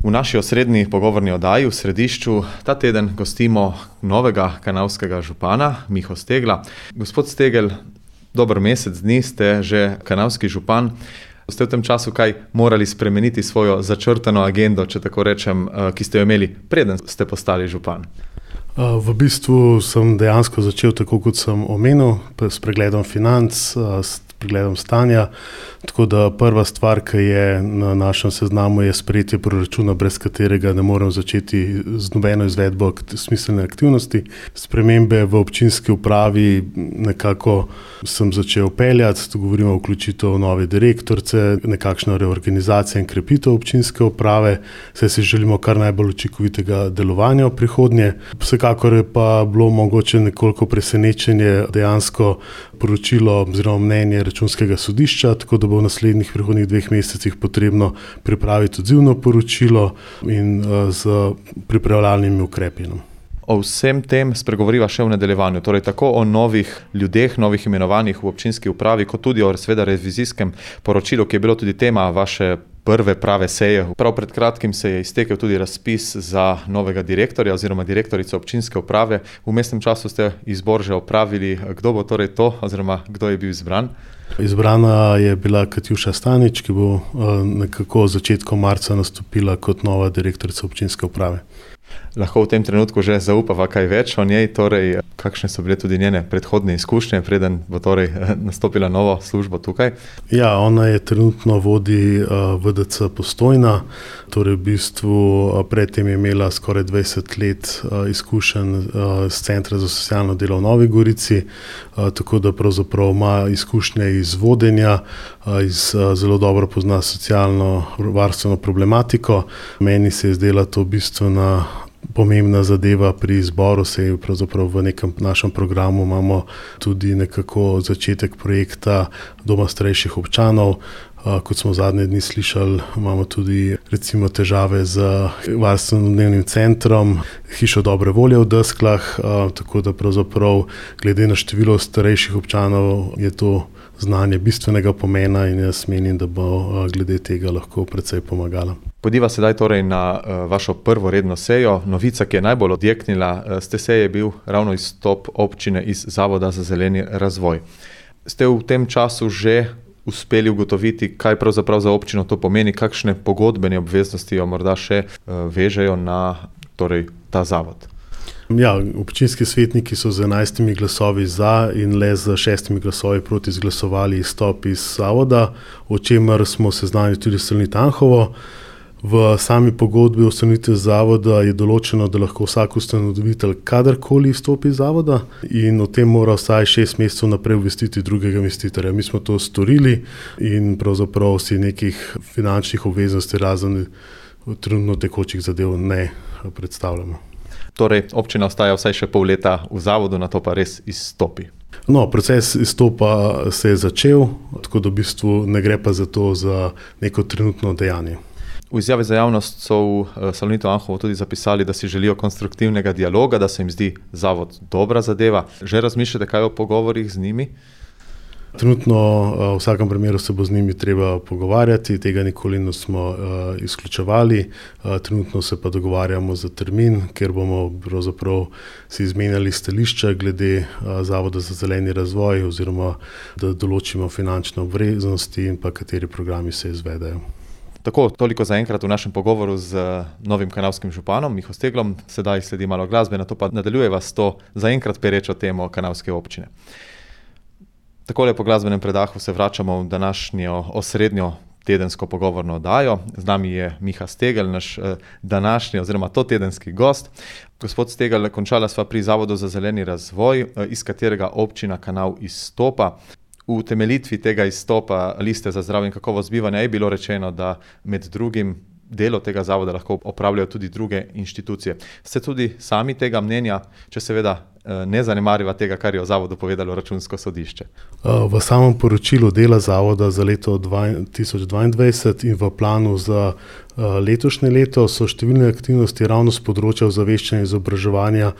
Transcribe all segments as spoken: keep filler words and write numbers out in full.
V naši osrednji pogovorni oddaji v Središču ta teden gostimo novega kanalskega župana, Miho Stegla. Gospod Stegel, dober mesec dni ste že kanalski župan. Ste v tem času kaj morali spremeniti svojo začrtano agendo, če tako rečem, ki ste jo imeli, preden ste postali župan? V bistvu sem dejansko začel tako, kot sem omenil, s pregledom financ, s pregledom stanja, tako da prva stvar, ki je na našem seznamu, je sprejetje proračuna, brez katerega ne morem začeti z nobeno izvedbo smiselne aktivnosti. Spremembe v občinski upravi nekako sem začel peljati, to govorimo o vključitev nove direktorice, nekakšna reorganizacija in krepitev občinske uprave, saj si želimo kar najbolj učinkovitega delovanja v prihodnje. Vsekakor je pa bilo mogoče nekoliko presenečenje dejansko poročilo oziroma mnenje Računskega sodišča, tako da bo v naslednjih prihodnjih dveh mesecih potrebno pripraviti odzivno poročilo in uh, z pripravljalnimi ukrepi. O vsem tem spregovoriva še v nadaljevanju, torej tako o novih ljudeh, novih imenovanjih v občinski upravi, kot tudi o seveda revizijskem poročilu, ki je bilo tudi tema vaše prve prave seje. Prav pred kratkim se je iztekel tudi razpis za novega direktorja oziroma direktorico občinske uprave. V vmesnem času ste izbor že opravili. Kdo bo torej to oziroma kdo je bil izbran? Izbrana je bila Katjuša Stanič, ki bo nekako v začetku marca nastopila kot nova direktorica občinske uprave. Lahko v tem trenutku že zaupava kaj več o njej, torej kakšne so bile tudi njene predhodne izkušnje, preden bo torej nastopila novo službo tukaj? Ja, ona je trenutno vodi uh, V D C Postojna, torej v bistvu uh, predtem je imela skoraj dvajset let uh, izkušenj uh, z Centra za socialno delo v Novi Gorici, uh, tako da pravzaprav ima izkušnje iz vodenja, uh, iz, uh, zelo dobro pozna socialno varstveno problematiko. Meni se je zdela to bistvena pomembna zadeva pri izboru, se je pravzaprav v nekem našem programu imamo tudi nekako začetek projekta Doma starejših občanov. Kot smo zadnje dni slišali, imamo tudi recimo težave z varstveno-dnevnim centrom, hišo dobre volje v Desklah, tako da pravzaprav glede na število starejših občanov je to znanje bistvenega pomena in jaz menim, da bo glede tega lahko precej pomagala. Pojdiva sedaj torej na vašo prvo redno sejo. Novica, ki je najbolj odjeknila z te seje, je bil ravno izstop občine iz Zavoda za zeleni razvoj. Ste v tem času že uspeli ugotoviti, kaj pravzaprav za občino to pomeni, kakšne pogodbene obveznosti jo morda še vežejo na torej, ta zavod? Ja, občinski svetniki so z enajstimi glasovi za in le z šestimi glasovi proti izglasovali izstop iz zavoda, o čemer smo seznanili tudi s Salonit Anhovo. V sami pogodbi o ustanovitvi zavoda je določeno, da lahko vsak ustanovitelj kadarkoli izstopi iz zavoda in o tem mora vsaj šest mesecev naprej obvestiti drugega investitorja. Mi smo to storili in pravzaprav si nekih finančnih obveznosti razen trenutno tekočih zadev ne predstavljamo. Torej, občina ostaja vsaj še pol leta v zavodu, na to pa res izstopi. No, proces izstopa se je začel, tako da v bistvu ne gre pa za to za neko trenutno dejanje. V izjavi za javnost so v Salonitu Anhovo tudi zapisali, da si želijo konstruktivnega dialoga, da se jim zdi zavod dobra zadeva. Že razmišljate kaj o pogovorih z njimi? Trenutno v vsakem primeru se bo z njimi treba pogovarjati, tega nikoli nismo uh, izključevali. Uh, trenutno se pa dogovarjamo za termin, kjer bomo pravzaprav si izmenjali stališča glede uh, Zavoda za zeleni razvoj oziroma da določimo finančne obveznosti in pa kateri programi se izvedajo. Tako, toliko za enkrat v našem pogovoru z novim kanalskim županom Miho Steglom. Sedaj sledi malo glasbe, na to pa nadaljujeva s to za enkrat perečo temo kanalske občine. Takole po glasbenem predahu se vračamo v današnjo osrednjo tedensko pogovorno oddajo. Z nami je Miha Stegel, naš današnji oziroma to tedenski gost. Gospod Stegel, končala sva pri Zavodu za zeleni razvoj, iz katerega občina Kanal izstopa. V temeljitvi tega izstopa Liste za zdravje in kakovost bivanja je bilo rečeno, da med drugim delo tega zavoda lahko opravljajo tudi druge inštitucije. Ste tudi sami tega mnenja, če seveda ne zanemariva tega, kar je o zavodu povedalo Računsko sodišče? V samem poročilu dela zavoda za leto dva tisoč dvaindvajset in v planu za letošnje leto so številne aktivnosti ravno s področja ozaveščanja in izobraževanja.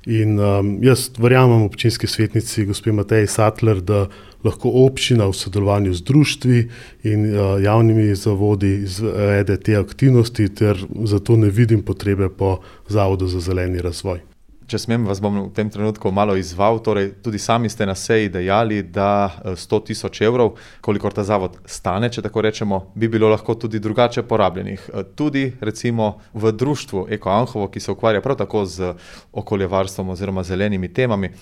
In um, jaz verjamem občinski svetnici gospe Mateji Sattler, da lahko občina v sodelovanju z društvi in javnimi zavodi izvede te aktivnosti, ter zato ne vidim potrebe po Zavodu za zeleni razvoj. Če smem, vas bom v tem trenutku malo izzval, torej tudi sami ste na seji dejali, da sto tisoč evrov, kolikor ta zavod stane, če tako rečemo, bi bilo lahko tudi drugače porabljenih. Tudi recimo v društvu Eko Anhovo, ki se ukvarja prav tako z okoljevarstvom oziroma zelenimi temami.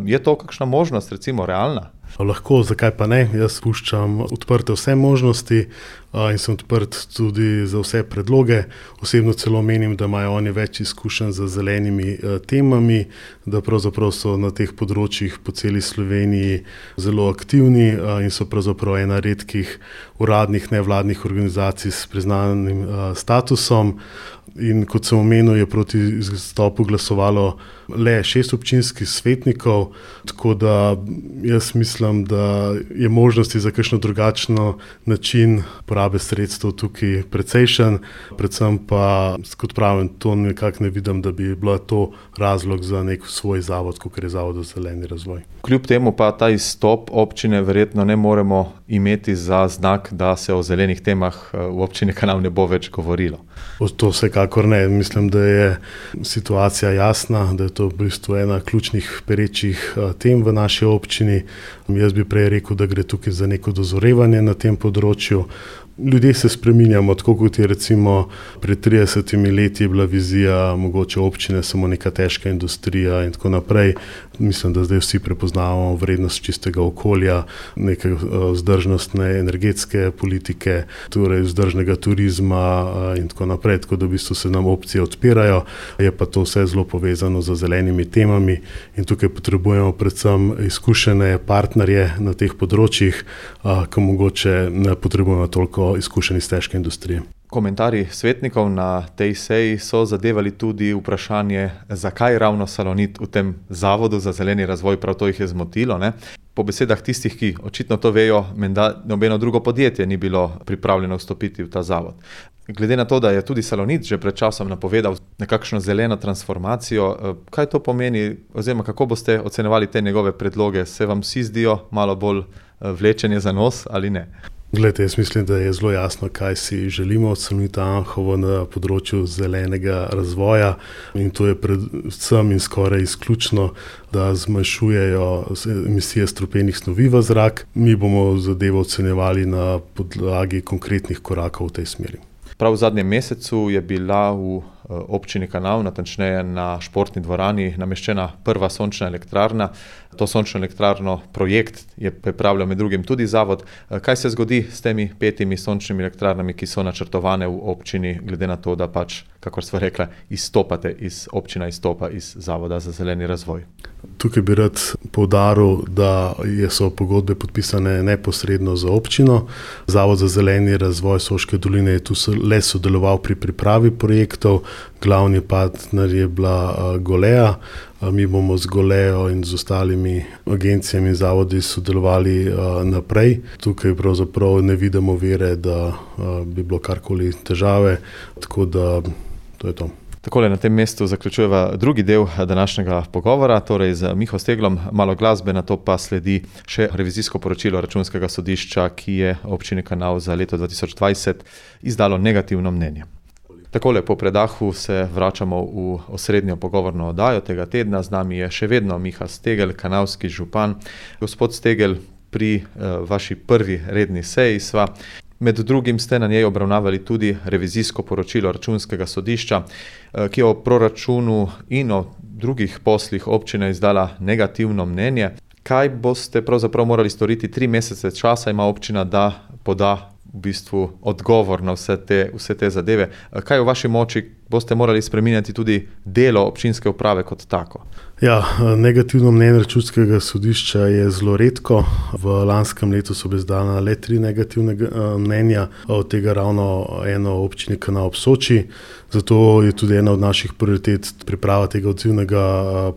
Je to kakšna možnost, recimo realna? Lahko, zakaj pa ne? Jaz puščam odprte vse možnosti in sem odprt tudi za vse predloge. Osebno celo menim, da imajo oni več izkušenj z zelenimi temami, da pravzaprav so na teh področjih po celi Sloveniji zelo aktivni in so pravzaprav ena redkih uradnih nevladnih organizacij s priznanim statusom. In kot sem omenil, je proti izstopu glasovalo le šest občinskih svetnikov, tako da jaz mislim, da je možnosti za kakšno drugačno način porabe sredstev tukaj precejšen, predvsem pa, kot pravim, to nekako ne vidim, da bi bila to razlog za nek svoj zavod, kot je Zavod za zeleni razvoj. Kljub temu pa ta izstop občine verjetno ne moremo imeti za znak, da se o zelenih temah v občini Kanal ne bo več govorilo. To vsekakor ne. Mislim, da je situacija jasna, da je to v bistvu ena ključnih perečih tem v naši občini. Jaz bi prej rekel, da gre tukaj za neko dozorevanje na tem področju. Ljudje se spreminjamo, tako kot je recimo pred tridesetimi leti je bila vizija mogoče občine samo neka težka industrija in tako naprej. Mislim, da zdaj vsi prepoznavamo vrednost čistega okolja, neke vzdržnostne energetske politike, torej vzdržnega turizma in tako naprej, tako da v bistvu se nam opcije odpirajo, je pa to vse zelo povezano z zelenimi temami in tukaj potrebujemo predvsem izkušene partnerje na teh področjih, ki mogoče ne potrebujemo toliko izkušeni iz težke industrije. Komentarji svetnikov na tej seji so zadevali tudi vprašanje, zakaj ravno Salonit v tem Zavodu za zeleni razvoj, prav to jih je zmotilo, ne? Po besedah tistih, ki očitno to vejo, menda nobeno drugo podjetje ni bilo pripravljeno vstopiti v ta zavod. Glede na to, da je tudi Salonit že pred časom napovedal nekakšno zeleno transformacijo, kaj to pomeni oziroma kako boste ocenjevali te njegove predloge? Se vam vsi zdijo malo bolj vlečenje za nos ali ne? Glejte, jaz mislim, da je zelo jasno, kaj si želimo od Salonita Anhovo na področju zelenega razvoja in to je predvsem in skoraj izključno, da zmanjšujejo emisije strupenih snovi v zrak. Mi bomo zadevo ocenjevali na podlagi konkretnih korakov v tej smeri. Prav v zadnjem mesecu je bila v občini Kanal, natančneje na športni dvorani, nameščena prva sončna elektrarna. To sončno elektrarno projekt je pripravljal med drugim tudi zavod. Kaj se zgodi s temi petimi sončnimi elektrarnami, ki so načrtovane v občini, glede na to, da pač, kakor sva rekla, izstopate iz občina, izstopa iz Zavoda za zeleni razvoj? Tukaj bi rad poudaril, da so pogodbe podpisane neposredno za občino. Zavod za zeleni razvoj Soške doline je tu le sodeloval pri pripravi projektov, glavni partner je bila Golea. Mi bomo z Golejo in z ostalimi agencijami in zavodi sodelovali naprej. Tukaj pravzaprav ne vidimo vere, da bi bilo karkoli težave, tako da to je to. Takole na tem mestu zaključujeva drugi del današnjega pogovora, torej z Miho Steglom, malo glasbe, nato pa sledi še revizijsko poročilo Računskega sodišča, ki je občini Kanal za leto dva tisoč dvajset izdalo negativno mnenje. Takole po predahu se vračamo v osrednjo pogovorno oddajo tega tedna. Z nami je še vedno Miha Stegel, kanalski župan. Gospod Stegel, pri uh, vaši prvi redni seji sva med drugim ste na njej obravnavali tudi revizijsko poročilo Računskega sodišča, uh, ki je o proračunu in o drugih poslih občine izdala negativno mnenje. Kaj boste pravzaprav morali storiti? Tri mesece časa ima občina, da poda v bistvu odgovor na vse te, vse te zadeve. Kaj v vaši moči? Boste morali spreminjati tudi delo občinske uprave kot tako? Ja, negativno mnenje Računskega sodišča je zelo redko. V lanskem letu so bile izdana le tri negativne mnenja, od tega ravno eno občini Kanal ob Soči. Zato je tudi ena od naših prioritet priprava tega odzivnega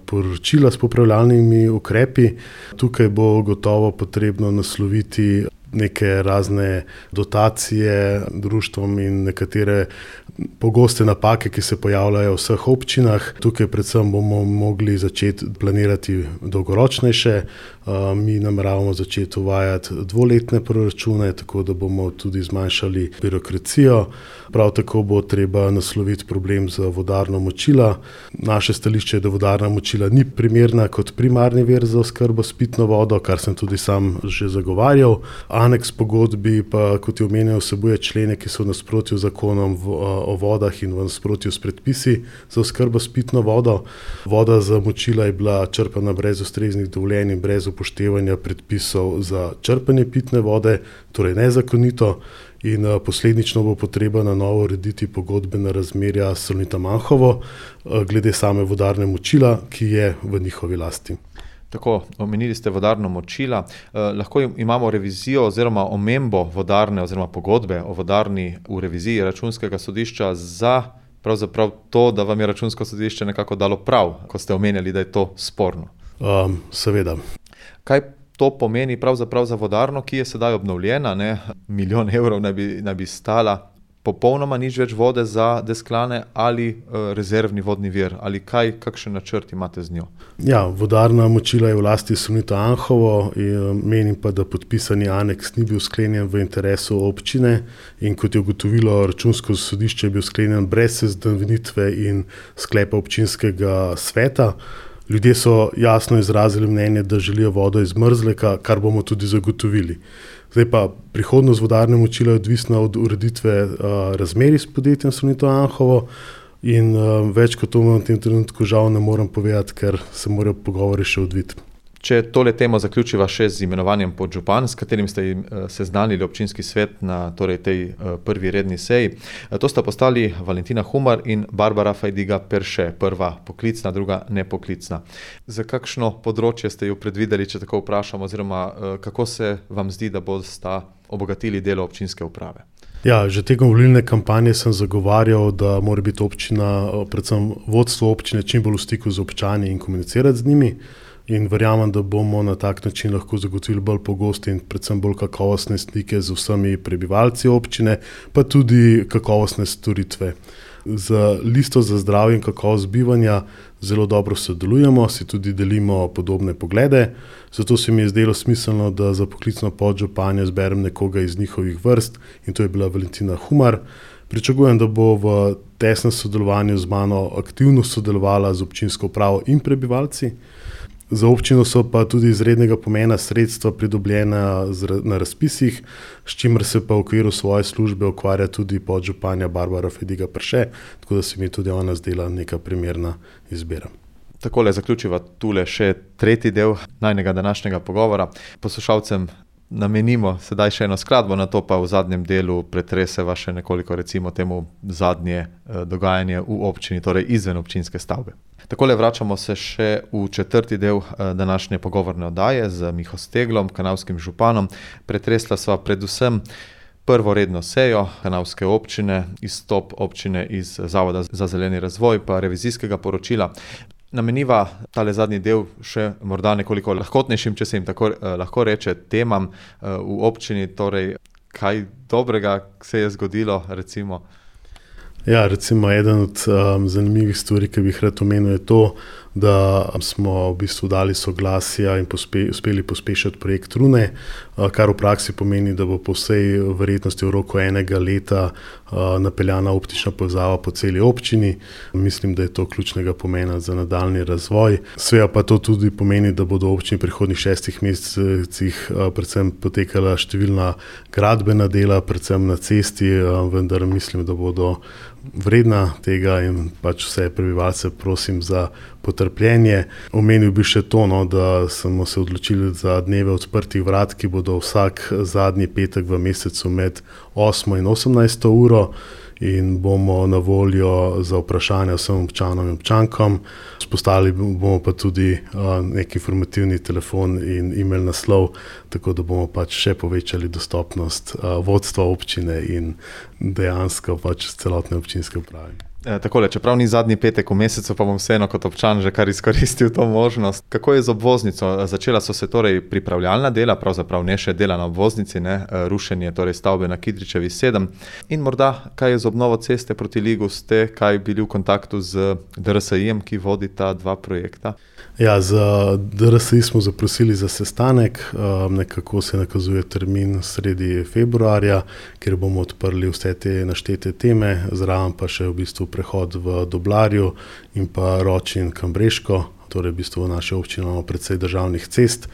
poročila s popravljalnimi ukrepi. Tukaj bo gotovo potrebno nasloviti neke razne dotacije društvom in nekatere pogoste napake, ki se pojavljajo v vseh občinah. Tukaj predvsem bomo mogli začeti planirati dolgoročnejše, Mi nameravamo začeti uvajati dvoletne proračune, tako da bomo tudi zmanjšali birokracijo. Prav tako bo treba nasloviti problem za vodarno močila. Naše stališče je, da vodarna močila ni primerna kot primarni vir za oskrbo s pitno vodo, kar sem tudi sam že zagovarjal. Aneks pogodbi pa, kot je omenjal, vsebuje člene, ki so v nasprotju z zakonom o vodah in v nasprotju s predpisi za oskrbo s pitno vodo. Voda za močila je bila črpana brez ustreznih dovoljenj in brez upoštevanja predpisov za črpanje pitne vode, torej nezakonito. In posledično bo potreba na novo urediti pogodbena razmerja s Salonitom Anhovo glede same vodarne močila, ki je v njihovi lasti. Tako, omenili ste vodarno močila. Eh, lahko imamo revizijo oziroma omembo vodarne oziroma pogodbe o vodarni v reviziji Računskega sodišča za pravzaprav to, da vam je Računsko sodišče nekako dalo prav, ko ste omenjali, da je to sporno. Um, seveda. Kaj to pomeni pravzaprav za vodarno, ki je sedaj obnovljena, ne? Milijon evrov naj bi, naj bi stala, popolnoma nič več vode za Desklane ali uh, rezervni vodni vir, ali kaj, kakšen načrt imate z njo? Ja, vodarna močila je v lasti Salonita Anhovo in menim pa, da podpisani aneks ni bil sklenjen v interesu občine in kot je ugotovilo Računsko sodišče, je bil sklenjen brez seznanitve in sklepa občinskega sveta. Ljudje so jasno izrazili mnenje, da želijo vodo iz Mrzleka, kar bomo tudi zagotovili. Zdaj pa prihodnost vodarne močila je odvisna od ureditve uh, razmerij s podjetjem Salonito Anhovo in uh, več kot to v tem trenutku žal ne morem povedati, ker se morajo pogovori še odviti. Če tole temo zaključiva še z imenovanjem podžupan, s katerim ste jim seznanili občinski svet na torej tej prvi redni seji, to sta postali Valentina Humar in Barbara Fajdiga Perše, prva poklicna, druga nepoklicna. Za kakšno področje ste jo predvideli, če tako vprašam, oziroma kako se vam zdi, da bosta obogatili delo občinske uprave? Ja, že tekom volilne kampanje sem zagovarjal, da mora biti občina, predvsem vodstvo občine, čim bolj v stiku z občani in komunicirati z njimi. In verjamem, da bomo na tak način lahko zagotovili bolj pogoste in predvsem bolj kakovostne stike z vsemi prebivalci občine, pa tudi kakovostne storitve. Z listo za zdravje in kakovost bivanja zelo dobro sodelujemo, si tudi delimo podobne poglede, zato se mi je zdelo smiselno, da za poklicno podžupanjo zberem nekoga iz njihovih vrst in to je bila Valentina Humar. Pričakujem, da bo v tesnem sodelovanju z mano aktivno sodelovala z občinsko upravo in prebivalci. Za občino so pa tudi izrednega pomena sredstva pridobljena na razpisih, s čimer se pa v okviru svoje službe ukvarja tudi podžupanja Barbara Fajdiga Perše, tako da se mi tudi ona zdela neka primerna izbira. Takole zaključiva tule še tretji del najnega današnjega pogovora. Poslušalcem namenimo sedaj še eno skladbo, na to pa v zadnjem delu pretreseva še nekoliko recimo temu zadnje dogajanje v občini, torej izven občinske stavbe. Takole vračamo se še v četrti del današnje pogovorne oddaje z Miho Steglom, kanalskim županom. Pretresla sva predvsem prvo redno sejo kanalske občine, izstop občine iz Zavoda za zeleni razvoj pa revizijskega poročila. Nameniva tale zadnji del še morda nekoliko lahkotnejšim, če se jim tako lahko reče, temam v občini, torej kaj dobrega se je zgodilo, recimo? Ja, recimo eden od um, zanimivih stvari, ki bi jih rad omenil, je to, da smo v bistvu dali soglasja in pospe, uspeli pospešiti projekt Rune, kar v praksi pomeni, da bo po vsej verjetnosti v roku enega leta napeljana optična povezava po celi občini. Mislim, da je to ključnega pomena za nadaljnji razvoj. Seveda pa to tudi pomeni, da bodo v občini v prihodnjih šestih mesecih predvsem potekala številna gradbena dela, predvsem na cesti, vendar mislim, da bodo vredna tega in pač vse prebivalce prosim za potrpljenje. Omenil bi še to, no, da smo se odločili za dneve odprtih vrat, ki bodo vsak zadnji petek v mesecu med osmo in osemnajsto uro in bomo na voljo za vprašanja vsem občanom in občankom. Vzpostavili bomo pa tudi uh, nek informativni telefon in e-mail naslov, tako da bomo pač še povečali dostopnost uh, vodstva občine in dejansko pač celotne občinske uprave. E, takole, čeprav ni zadnji petek v mesecu, pa bom vseeno kot občan že kar izkoristil to možnost. Kako je z obvoznico? Začela so se torej pripravljalna dela, pravzaprav ne še dela na obvoznici, ne? Rušenje torej stavbe na Kidričevi sedem. In morda, kaj je z obnovo ceste proti Ligu, ste kaj bili v kontaktu z D R S I-jem, ki vodi ta dva projekta? Ja, za D R S I smo zaprosili za sestanek, nekako se nakazuje termin sredi februarja, kjer bomo odprli vse te naštete teme, zraven pa še v bistvu prehod v Doblarju in pa Ročin Kambreško, torej v bistvu v naši občini imamo precej državnih cest.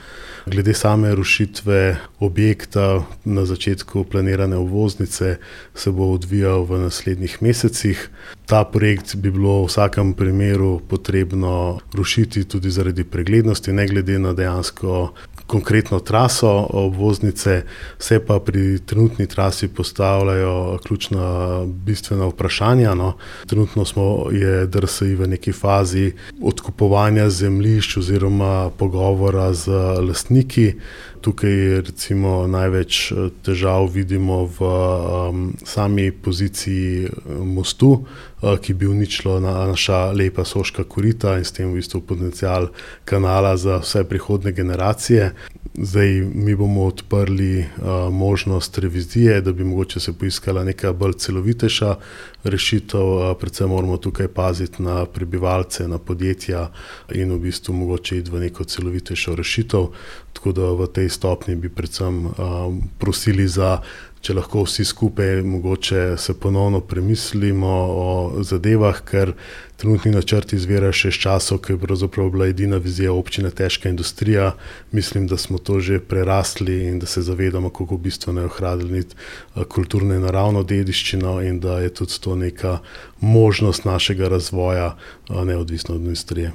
Glede same rušitve objekta na začetku planirane obvoznice se bo odvijal v naslednjih mesecih. Ta projekt bi bilo v vsakem primeru potrebno rušiti tudi zaradi preglednosti, ne glede na dejansko konkretno traso obvoznice, se pa pri trenutni trasi postavljajo ključna bistvena vprašanja. No. Trenutno smo, je D R S I v neki fazi odkupovanja zemljišč oziroma pogovora z lastniki. Tukaj recimo največ težav vidimo v um, sami poziciji mostu, uh, ki bi uničilo na, naša lepa Soška korita in s tem v bistvu potencial kanala za vse prihodne generacije. Zdaj mi bomo odprli uh, možnost revizije, da bi mogoče se poiskala neka bolj celovitejša rešitev, uh, predvsem moramo tukaj paziti na prebivalce, na podjetja in v bistvu mogoče iti v neko celovitejšo rešitev, tako da v tej stopnji bi predvsem uh, prosili za, če lahko vsi skupaj mogoče se ponovno premislimo o zadevah, ker trenutni načrt izvira še iz časov, ko je pravzaprav bila edina vizija občine težka industrija. Mislim, da smo to že prerasli in da se zavedamo, kako bistveno je ohraniti kulturno in naravno dediščino in da je tudi to neka možnost našega razvoja, neodvisno od industrije.